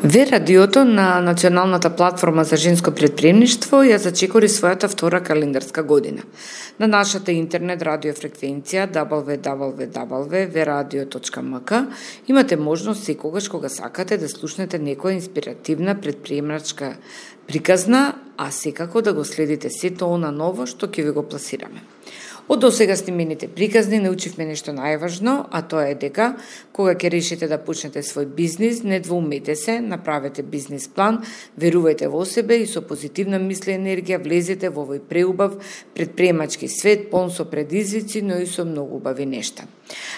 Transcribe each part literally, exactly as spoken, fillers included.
Ве радиото на Националната платформа за женско претприемништво ја зачекори својата втора календарска година. На нашата интернет радиофреквенција дабл ю дабл ю дабл ю точка ве радио точка ем ка имате можност секогаш кога сакате да слушнете некоја инспиративна претприемачка приказна, а секако да го следите сето она ново што ќе ви го пласираме. Од досега снимените приказни научивме нешто најважно, а тоа е дека кога ќе решите да почнете свој бизнис, не двоумете се, направете бизнис план, верувајте во себе и со позитивна мисла и енергија влезете во овој преубав претприемачки свет, полн со предизвици, но и со многу убави нешта.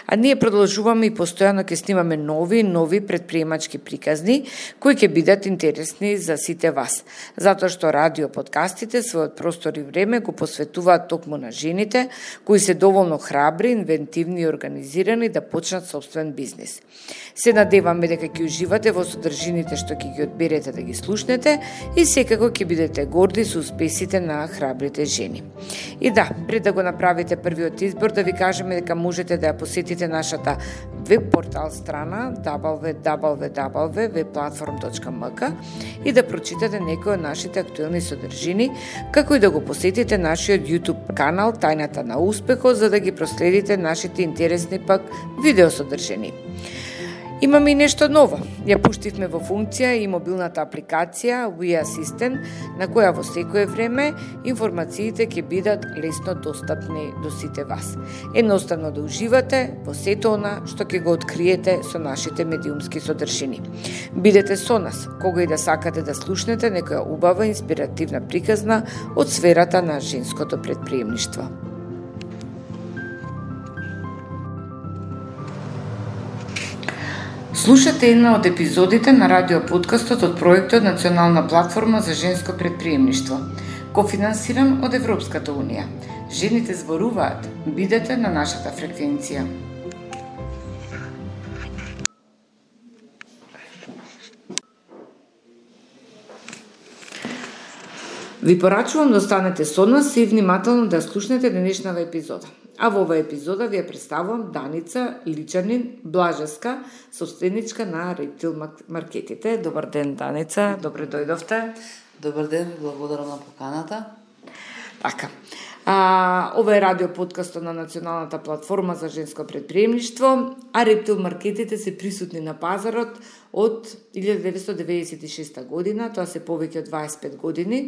А ние продолжуваме и постојано ќе снимаме нови нови претприемачки приказни кои ќе бидат интересни за сите вас, затоа што радио подкастите својот простор и време го посветуваат токму на жените кои се доволно храбри, инвентивни и организирани да почнат собствен бизнис. Се надеваме дека ќе уживате во содржините што ќе ги одберете да ги слушнете и секако ќе бидете горди со успесите на храбрите жени. И да, пред да го направите првиот избор, да ви кажеме дека можете да ја посетите нашата веб портал страна дабл ю дабл ю дабл ю точка ве платформ точка ем ка и да прочитате некои од нашите актуелни содржини, како и да го посетите нашиот YouTube канал Тајната на успехот, за да ги проследите нашите интересни пак видео содржини. Имаме и нешто ново. Ја пуштивме во функција и мобилната апликација We Assistant, на која во секое време информациите ќе бидат лесно достапни до сите вас. Едноставно да уживате во сето она што ќе го откриете со нашите медиумски содржини. Бидете со нас, кога и да сакате да слушнете некоја убава инспиративна приказна од сферата на женското претприемништво. Слушате една од епизодите на радиоподкастот од проектот Национална платформа за женско претприемништво, кофинансиран од Европската унија. Жените зборуваат, бидете на нашата фреквенција. Ви порачувам да останете со нас и внимателно да слушнете денешната епизода. А во оваа епизода ви ја представувам Даница Личанин Блажевска, собственичка на Рептил Маркетите. Добар ден, Даница, добре дојдовте. Добар ден, благодарам на поканата. Така. А, ова е радио подкастот на Националната платформа за женско претприемништво, а Рептил Маркетите се присутни на пазарот од илјада деветстотини деветдесет и шеста година, тоа се повеќе од дваесет и пет години.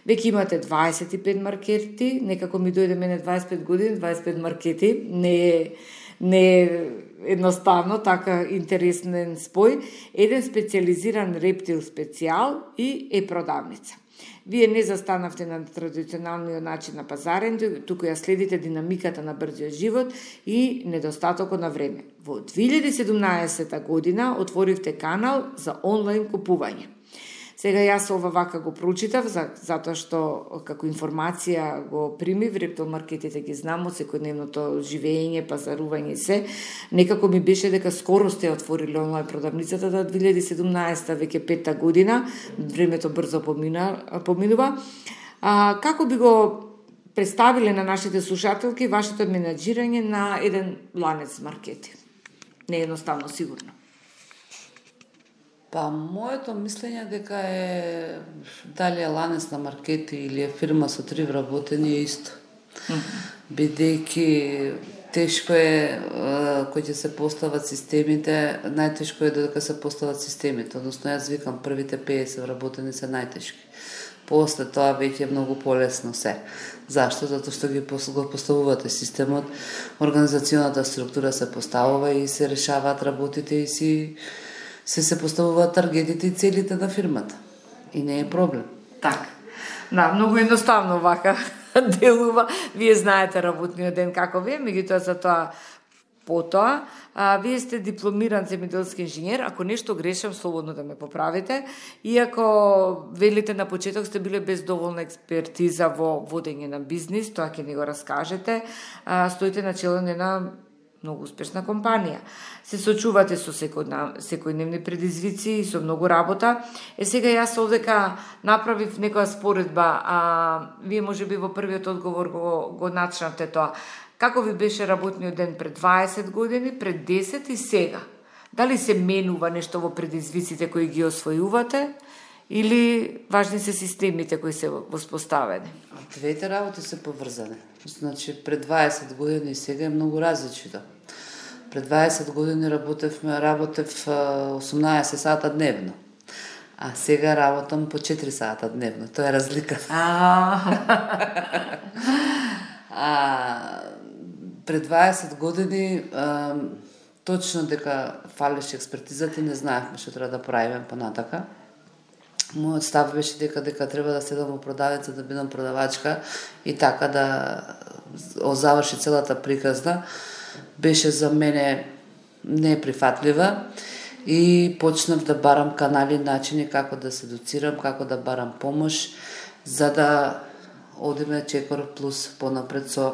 Веќе имате дваесет и пет маркети, некако ми дојде мене дваесет и пет години, дваесет и пет маркети, не е, не е едноставно, така интересен спој, еден специализиран рептил специјал и е продавница. Вие не застанавте на традиционалниот начин на пазарен, туку ја следите динамиката на брзиот живот и недостатокот на време. Во две илјади и седумнаесета година отворивте канал за онлайн купување. Сега јас ова вака го прочитав, за, затоа што како информација го примив, Рептил Маркетите ги знам од секојдневното живење, пазарување и се. Некако ми беше дека скоро сте отворили онлайн продавницата до две илјади и седумнаесета, веќе петта година, времето брзо помина, поминува. А, како би го представиле на нашите слушателки вашето менаџирање на еден ланец маркети? Не е едноставно, сигурно. Па, моето мислење дека е дали е ланец на маркети или е фирма со три вработени е исто. Mm-hmm. Бидејќи тешко е кој ќе се постават системите, најтешко е додека се постават системите, односно јас викам првите педесет вработени се најтешки. После тоа веќе е многу полесно се. Зашто? Затоа што ги го поставувате системот, организационата структура се поставува и се решаваат работите и си се се поставуваат таргетите и целите на фирмата. И не е проблем. Така. Да, многу едноставно вака делува. Вие знаете работниот ден како ви е, меѓутоа за тоа потоа. А, вие сте дипломиран земјоделски инженер, ако нешто грешам, слободно да ме поправите. Иако велите на почеток сте биле без доволна експертиза во водење на бизнис, тоа ќе ни го раскажете, а, стоите на чело на една многу успешна компанија. Се сочувате со секојдневни предизвици и со многу работа. Е, сега јас овдека направив некоја споредба, а вие можеби во првиот одговор го, го начнавте тоа. Како ви беше работниот ден пред дваесет години, пред десет и сега? Дали се менува нешто во предизвиците кои ги освојувате или важни се системите кои се воспоставени? Двете работи се поврзани. Значи, пред дваесет години и сега е многу различито. Пред дваесет години работевме, работев осумнаесет сата дневно. А сега работам по четири сата дневно. Тоа е разлика. А, а пред дваесет години а, точно дека фалеше експертизата и не знаевме што треба да правиме понатака. Мојот став беше дека дека треба да седам во продавница да бидам продавачка и така да озаврши целата приказна. Беше за мене неприфатлива и почнав да барам канали и начини како да се едуцирам, како да барам помош, за да одиме Чекор плюс понапред со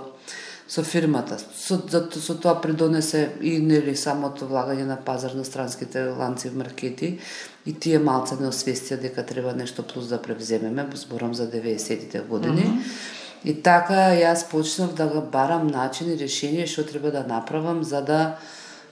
со фирмата. Со, за, со тоа придонесе и нели самото влагање на пазар на странските ланци в маркети и тие малце не освестија дека треба нешто плюс да превземеме, зборам за деветдесетите години. Mm -hmm. И така јас почнав да го барам начин и решение што треба да направам за да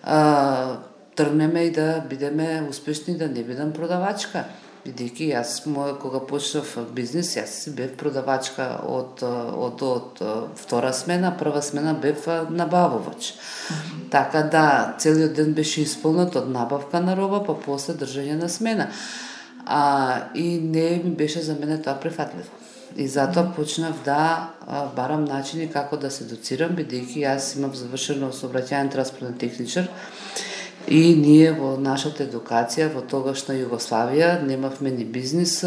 а, тргнеме и да бидеме успешни, да не бидам продавачка. Бидејќи јас мој кога почнав бизнис, јас бев продавачка од од од втора смена, прва смена бев набавувач. Mm-hmm. Така да целиот ден беше исполнет од набавка на роба, па после држање на смена. А и не ми беше за мене тоа прифатливо. И затоа mm-hmm. почнав да а, барам начини како да се едуцирам, бидејќи јас имам завршено сообраќајен транспортен техничар. И ние во нашата едукација, во тогашна Југославија, немавме ни бизнис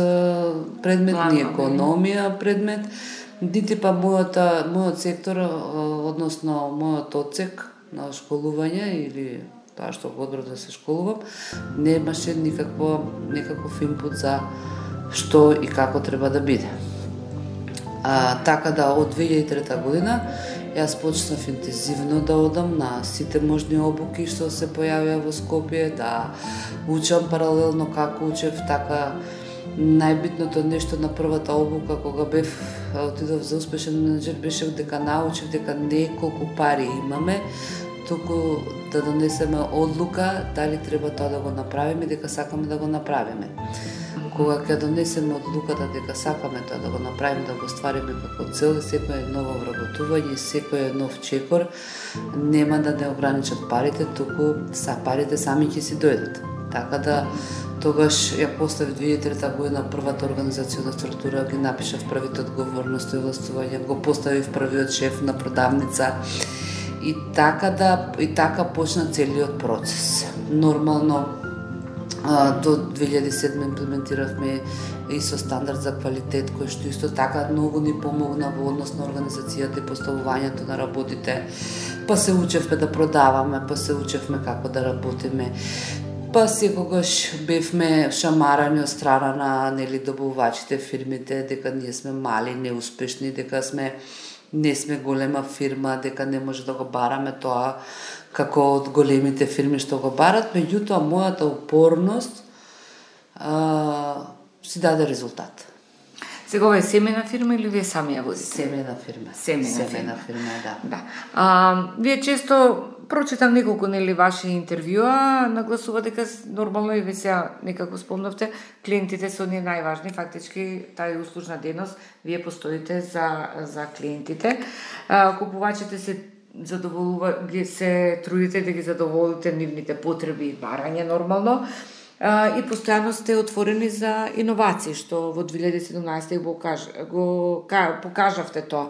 предмет, ни економија предмет, нити па мојата, мојот сектор, односно мојот одсек на школување или тоа што го одбрав да се школувам, немаше никакво, никаков инпут за што и како треба да биде. А, така да од две илјади и трета година јас почнав интензивно да одам на сите можни обуки што се појавија во Скопје, да учам паралелно како учев, така најбитното нешто на првата обука кога бев отидов за успешен менеджер беше дека научив дека не колку пари имаме, туку да донесеме одлука дали треба тоа да го направиме, дека сакаме да го направиме. Кога ќе донесеме одлуката дека сакаме тоа да го направиме, да го ствариме како цел, секој ново вработување, секој нов чекор, нема да не ограничат парите, туку са парите сами ќе си дојдат. Така да тогаш ја поставив две илјади и трета година првата организациона структура, ги напишав првите одговорности и властување, го поставив првиот шеф на продавница и така да и така почна целиот процес. Нормално до две илјади и седма имплементиравме и со стандард за квалитет, кој што исто така многу ни помогна во однос на организацијата и поставувањето на работите. Па се учевме да продаваме, па се учевме како да работиме. Па секогаш бевме шамарани од страна на нели добавувачите, фирмите, дека ние сме мали, неуспешни, дека сме не сме голема фирма, дека не може да го бараме тоа како од големите фирми што го барат, меѓутоа мојата упорност а, си даде резултат. Сега ова е семена фирма или вие сами ја возите? Семена фирма. Семена, семена фирма. фирма, да. Да. А, вие често прочитам неколку нели ваши интервјуа, нагласува дека нормално и вие сега некако спомнавте, клиентите се оние најважни, фактички таа услужна дејност, вие постоите за за клиентите. А, купувачите се задоволува, ги се трудите да ги задоволите нивните потреби и барање нормално. А, и постојано сте отворени за иновации, што во две илјади и седумнаесета го, каж, го покажавте тоа.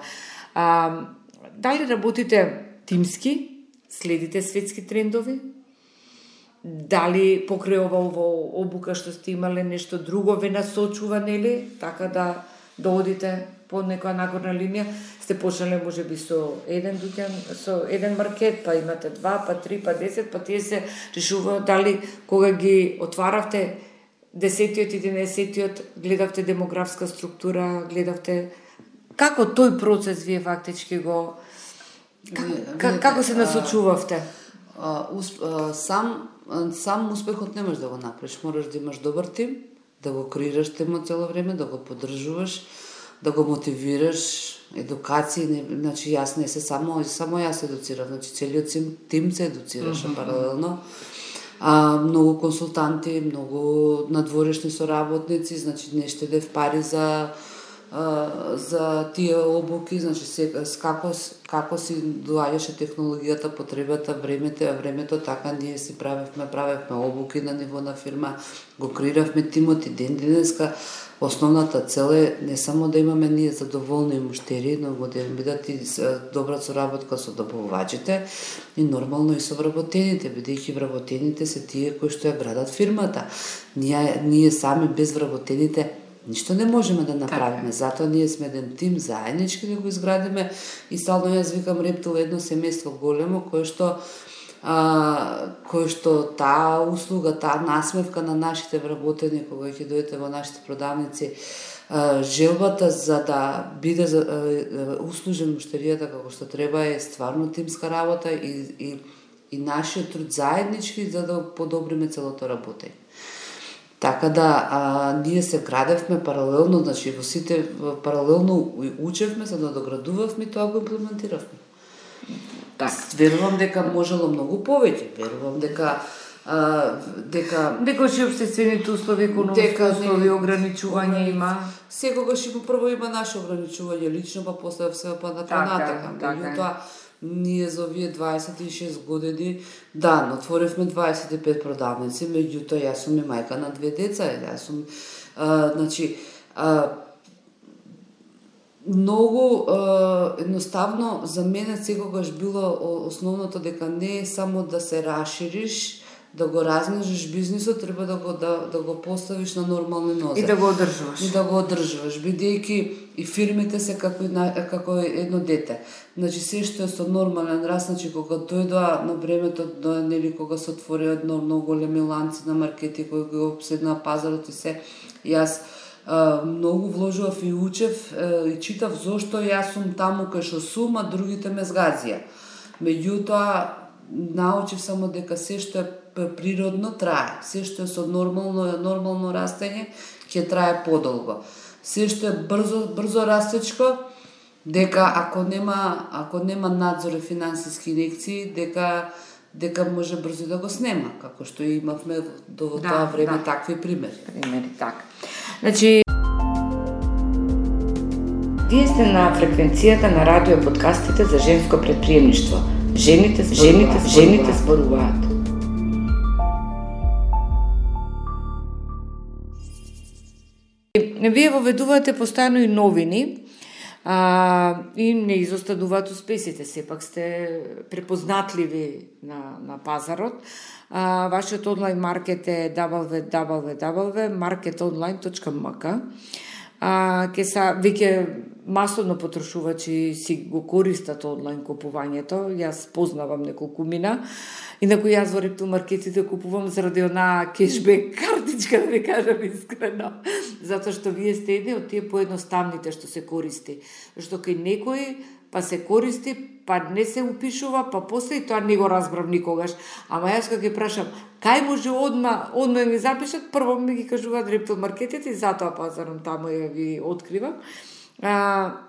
А, дали работите тимски, следите светски трендови? Дали покрај ова ово обука што сте имале нешто друго ве насочува, нели? Така да да одите по некоја нагорна линија, сте почнале можеби со еден дуќан, со еден маркет, па имате два, па три, па десет, па тие се решуваат дали кога ги отваравте десетиот и единаесеттиот, гледавте демографска структура, гледавте како тој процес вие фактички го како, како се насочувавте? А, усп, а, сам сам успехот не можеш да го направиш, мораш да имаш добар тим, да го креираш тимот цело време, да го поддржуваш, да го мотивираш, едукација, не, значи јас не се само само јас едуцирав, значи целиот тим се едуцираше mm-hmm. паралелно. а, многу консултанти, многу надворешни соработници, значи не штедев пари за за тие обуки, значи се, како, како си доаѓаше технологијата, потребата, времето, времето, така ние си правевме, правевме обуки на ниво на фирма, го креиравме тимот и ден денеска. Основната цел е не само да имаме ние задоволни муштери, но да бидат и добра соработка со добавувачите и нормално и со вработените, бидејќи вработените се тие кои што ја градат фирмата. Ние, ние сами без вработените ништо не можеме да направиме, затоа ние сме еден тим заеднички да го изградиме и стално јас викам Рептил едно семејство големо кое што а, кое што таа услуга, таа насмевка на нашите вработени кога ќе дојдете во нашите продавници, а, желбата за да биде за, а, услужен муштеријата како што треба е стварно тимска работа и, и, и нашиот труд заеднички за да подобриме целото работење. Така да, а, ние се градевме паралелно, значи во сите паралелно учевме, за да доградувавме и тоа го имплементиравме. Так. Верувам дека можело многу повеќе, верувам дека а, дека дека што општествените услови, економски услови, ограничување има. Секогаш има прво има наше ограничување лично, па после се па на понатака. Меѓутоа ние за овие дваесет и шест години, да, отворивме дваесет и пет продавници, меѓутоа јас сум и мајка на две деца, јас сум, а, значи, а, многу а, едноставно за мене секогаш било основното дека не е само да се расшириш, да го размножиш бизнисот, треба да го да, да го поставиш на нормални нозе. И да го одржуваш. И да го одржуваш, бидејќи и фирмите се како како едно дете. Значи се што е со нормален раст, значи кога дојдоа на времето, нели кога се отвори едно многу големи ланци на маркети кои го обседна пазарот и се, јас а, многу вложував и учев а, и читав зошто јас сум таму кај што сум, а другите ме згазија. Меѓутоа научив само дека се што е природно трае, се што е со нормално нормално растење ќе трае подолго. Се што е брзо брзо растечко, дека ако нема ако нема надзор и финансиски инекции, дека дека може брзо да го снема, како што имавме до да, тоа време да. Такви примери. Примери така. Значи вие сте на фреквенцијата на радио подкастите за женско претприемништво. Жените, жените, жените зборуваат. Вие воведувате постојано и новини а, и не изостадуваат успесите. Сепак сте препознатливи на, на пазарот. А, вашиот онлайн маркет е дабл ю дабл ю дабл ю точка маркет онлайн точка ем ка. А, ке са, веќе масовно потрошувачи си го користат онлайн купувањето. Јас познавам неколку мина. Инаку јас во Рептил маркетите купувам заради онаа кешбек картичка, да ви кажам искрено. Затоа што вие сте едни од тие поедноставните што се користи. Што кај некој па се користи, па не се упишува, па после и тоа не го разбрав никогаш. Ама јас кога ги прашам, кај може одма, одма ми запишат, прво ми ги кажуваат Рептил маркетите и затоа пазарам таму ја ги откривам. А,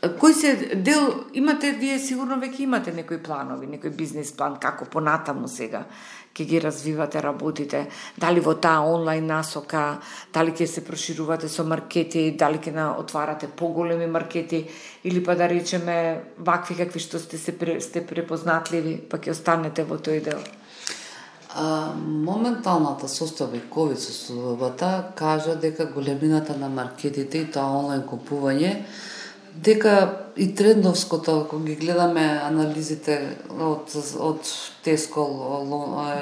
кој се дел, имате, вие сигурно веќе имате некои планови, некој бизнес план, како понатаму сега ќе ги развивате, работите, дали во таа онлайн насока, дали ќе се проширувате со маркети, дали ќе на отварате поголеми маркети, или па да речеме вакви какви што сте се сте препознатливи, па ќе останете во тој дел. А, моменталната состојба и ковид состојбата кажа дека големината на маркетите и тоа онлайн купување, дека и трендовското, кога ги гледаме анализите од, од Tesco,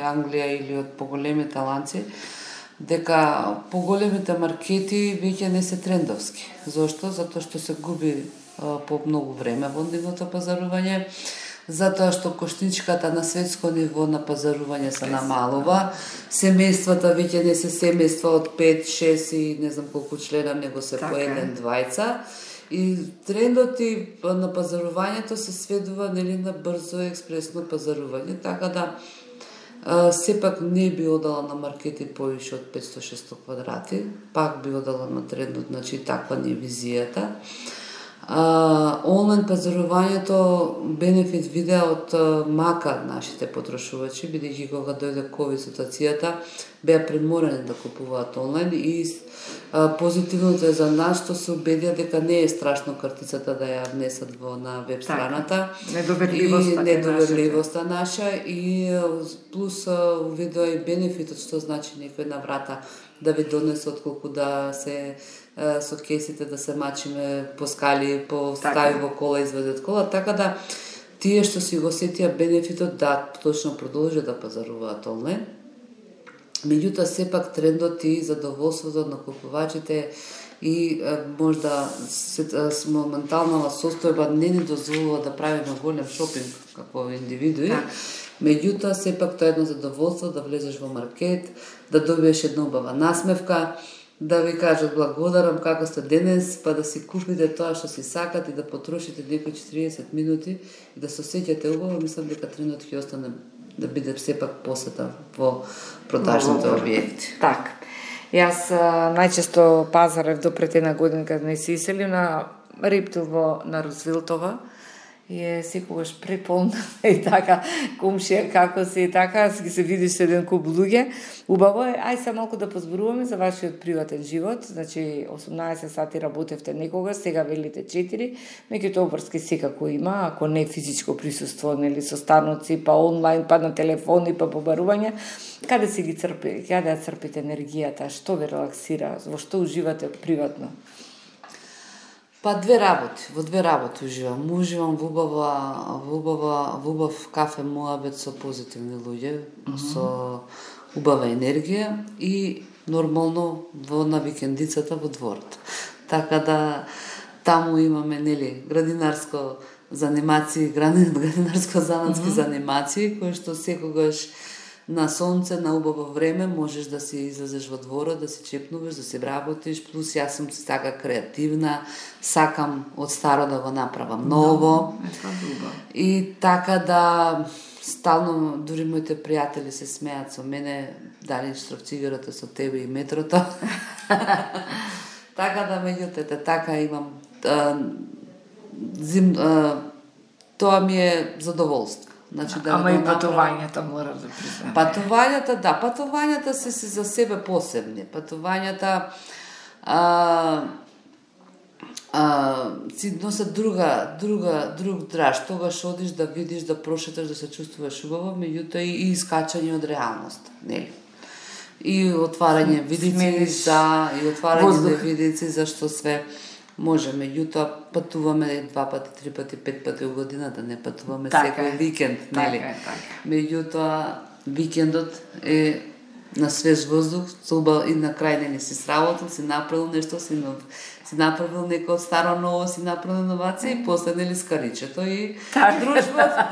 Англија или од поголемите ланци, дека поголемите маркети веќе не се трендовски. Зошто? Затоа што се губи а, по многу време во нивното пазарување, затоа што коштичката на светско ниво на пазарување се намалува, семејствата веќе не се семејства од пет, шест и не знам колку члена, него се по еден, двајца. И трендот и на пазарувањето се сведува нели на брзо и експресно пазарување, така да а, сепак не би одала на маркети повише од петсто до шестсто квадрати, пак би одала на трендот, значи таква не е визијата. А, онлайн пазарувањето бенефит видеа од мака нашите потрошувачи, бидејќи кога дојде ковид ситуацијата, беа приморани да купуваат онлайн и а, позитивното е за нас што се убедија дека не е страшно картицата да ја внесат во на веб страната. Недоверливоста, и недоверливоста наша и плюс увидоа и бенефитот што значи некој на врата да ви донесе отколку да се со кесите да се мачиме по скали, по стави во кола, изведе од кола, така да тие што си го сетија бенефитот да точно продолжат да пазаруваат онлайн. Меѓутоа сепак трендот и задоволството на купувачите и можда моментална состојба не ни дозволува да правиме голем шопинг како индивидуи. Меѓутоа сепак тоа е едно задоволство да влезеш во маркет, да добиеш една убава насмевка, да ви кажат благодарам како сте денес, па да си купите тоа што си сакат и да потрошите некои четириесет минути и да се осеќате убаво. Мислам дека трендот ќе остане да биде сепак посета во продажните објекти. Така. Јас најчесто пазарев до пред една година кога не се иселив на Рептил во на Рузвелтова и е секогаш преполна и така комшија како се и така ги се видиш со еден куп луѓе. Убаво е, ај се малку да позборуваме за вашиот приватен живот. Значи осумнаесет сати работевте некогаш, сега велите четири, меѓутоа обврски секако има, ако не физичко присуство, нели со станоци, па онлайн, па на телефони, па побарување. Каде си ги црпи, каде ја црпите енергијата, што ве релаксира, во што уживате приватно? Па две работи, во две работи уживам. Уживам во убава, во убава, во убав кафе муабет со позитивни луѓе, mm -hmm. со убава енергија и нормално во на викендицата во дворот. Така да таму имаме нели градинарско занимации, градинарско-занатски mm -hmm. занимации кои што секогаш на сонце, на убаво време можеш да си излезеш во дворот, да си чепнуваш, да си работиш, плюс јас сум си така креативна, сакам од старо да го направам ново. И така да стално, дури моите пријатели се смеат со мене, дали штрафцигарата со тебе и метрото. Така да, меѓутоа, така имам а, зим, а, тоа ми е задоволство. Значи, да Ама и патувањата мора да признам. Патувањата, да, патувањата се си за себе посебни. Патувањата а, а, си носат друга, друга, друг драж. Тогаш одиш да видиш, да прошеташ, да се чувствуваш убаво, меѓутоа и, и искачање од реалност. Нели? И отварање видици за и отварање на видици за што све може, меѓутоа патуваме два пати, три пати, пет пати во годината, не патуваме така секој викенд, нели? Така е, така. Меѓутоа викендот е на свеж воздух, соба и на крај не си сработил, си направил нешто, си, нов, си направил некој старо ново, си направил иновација и после нели скаричето и така. дружбата.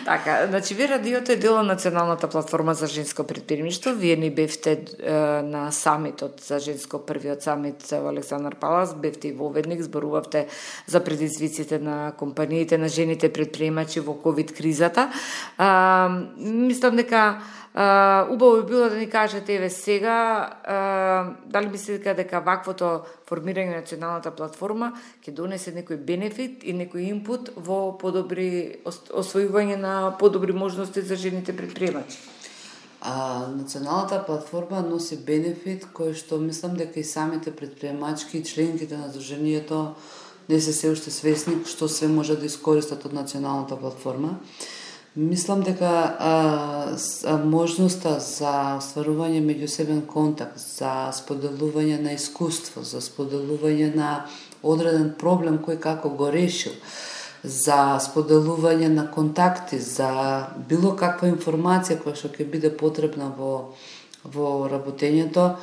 Така, значи ви радиото е дел од Националната платформа за женско предприемништво. Вие ни бевте е, на самитот за женско, првиот самит во Александар Палас, бевте и воведник, зборувавте за предизвиците на компаниите, на жените предприемачи во ковид кризата. А, мислам дека Uh, убаво би било да ни кажете еве сега uh, дали мислите дека ваквото формирање на националната платформа ќе донесе некој бенефит и некој инпут во подобри освојување на подобри можности за жените предприемачи? А, националната платформа носи бенефит кој што мислам дека и самите предприемачки и членките на Сдруженијето не се се уште свесни што све може да искористат од националната платформа. Мислам дека а, а, можноста за остварување меѓусебен контакт, за споделување на искуство, за споделување на одреден проблем кој како го решил, за споделување на контакти, за било каква информација која што ќе биде потребна во, во работењето,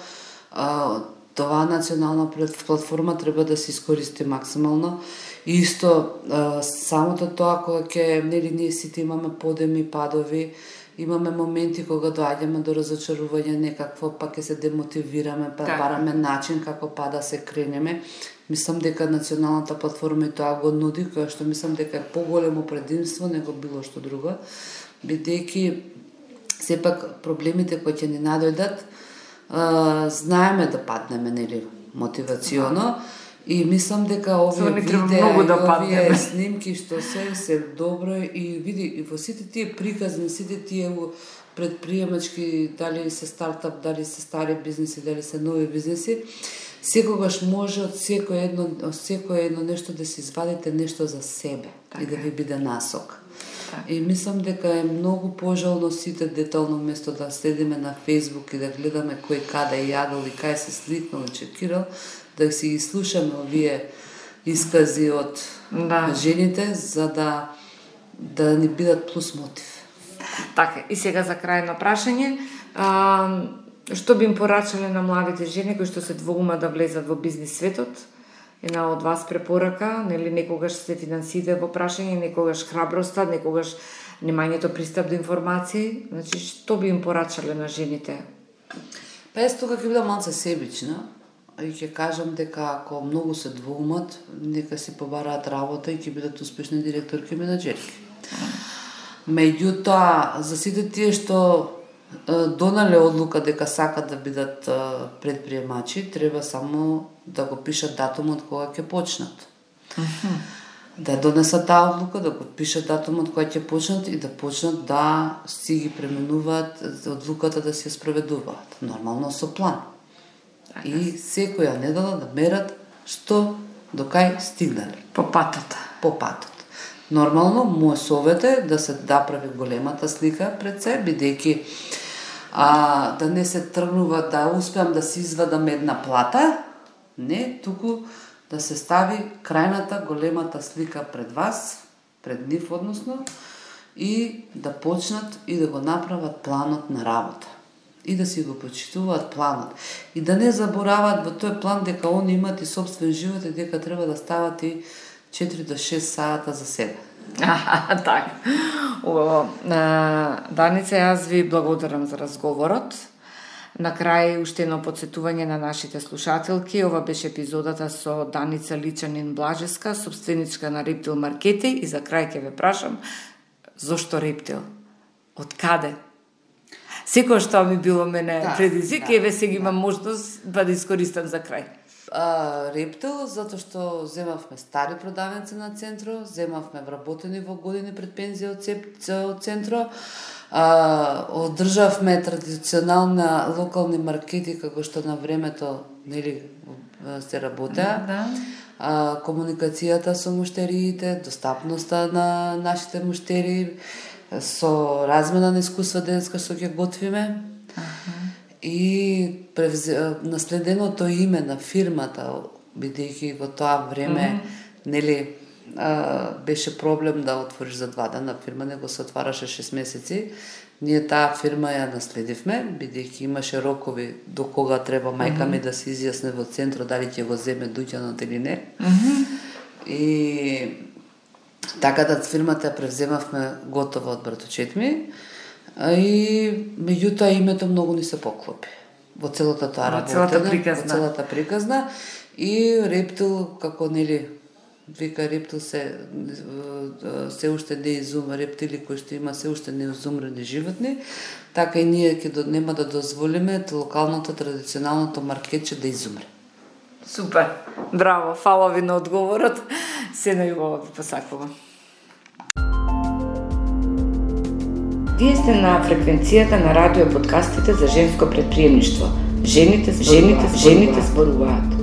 а, това национална платформа треба да се искористи максимално. Исто, самото тоа кога ќе, нели, ние сите имаме подеми, падови, имаме моменти кога доаѓаме до разочарување некакво, па ќе се демотивираме, па так. бараме начин како па да се кренеме. Мислам дека националната платформа и тоа го нуди, која што мислам дека е поголемо предимство него било што друго, бидејќи сепак проблемите кои ќе ни надојдат, знаеме да паднеме, нели, мотивационо, И мислам дека овие видеа и да овие снимки што се се добро и види и во сите тие приказни, сите тие предприемачки, дали се стартап, дали се стари бизнеси, дали се нови бизнеси, секогаш може од секој едно, од секој едно нешто да се извадите нешто за себе така, и да ви биде насок. Така. И мислам дека е многу пожално сите детално место да следиме на Facebook и да гледаме кој каде јадел и кај се сликнал и чекирал, да си ги слушаме овие искази од да. жените за да да ни бидат плюс мотив. Така, и сега за крај на прашање, а, што би им порачале на младите жени кои што се двоумат да влезат во бизнис светот? Една од вас препорака, нели некогаш се финансите во прашање, некогаш храброста, некогаш немањето пристап до информации, значи што би им порачале на жените? Па јас тука ќе бидам малце себична и ќе кажам дека ако многу се двоумат, нека си побараат работа и ќе бидат успешни директорки и менаџерки. Меѓутоа, за сите тие што донале одлука дека сакат да бидат предприемачи, треба само да го пишат датумот кога ќе почнат. Uh-huh. Да донесат таа одлука, да го пишат датумот кога ќе почнат и да почнат да си ги пременуваат одлуката да се спроведуваат. Нормално со план. Uh-huh. И секоја недела да мерат што до кај стигнале. По патот. По патот. Нормално, мој совет е да се направи големата слика пред се, бидејќи а, да не се тргнува да успеам да си извадам една плата, не, туку да се стави крајната големата слика пред вас, пред нив односно, и да почнат и да го направат планот на работа. И да си го почитуваат планот. И да не забораваат во тој план дека они имат и собствен живот и дека треба да стават и четири до шест сата за себе. Аха, така. Убаво. Даница, јас ви благодарам за разговорот. На крај, уште едно подсетување на нашите слушателки. Ова беше епизодата со Даница Личанин Блажеска, собственичка на Рептил Маркети. И за крај ќе ве прашам, зошто Рептил? Од каде? Секој што ми било мене да, предизвик, да, еве сега да. имам можност да да искористам за крај. А, Рептил, затоа што земавме стари продавници на Центро, земавме вработени во години пред пензија од Центро, а, одржавме традиционална локални маркети како што на времето нели се работеа. Да. А, комуникацијата со муштериите, достапноста на нашите муштери, со размена на искуства денеска што ќе готвиме. Аха. И превзе, наследеното име на фирмата, бидејќи во тоа време, mm-hmm. нели, а, беше проблем да отвориш за два дена, фирма не го се отвараше шест месеци. Ние таа фирма ја наследивме, бидејќи имаше рокови до кога треба мајка ми mm-hmm. да се изјасне во Центро дали ќе го земе дуќанот или не. Mm-hmm. И така да фирмата ја превземавме готова од братовчет ми. И меѓутоа името многу ни се поклопи во целата тоа работа, целата приказна. Во целата приказна и Рептил како нели вика Рептил се се уште не изума рептили кои што има се уште неизумрени животни, така и ние ќе нема да дозволиме локалното традиционалното маркетче да изумре. Супер. Браво, фала ви на одговорот. Се најубаво ви посакувам. Вие сте на фреквенцијата на радио подкастите за женско предприемништво. Жените, жените, жените зборуваат.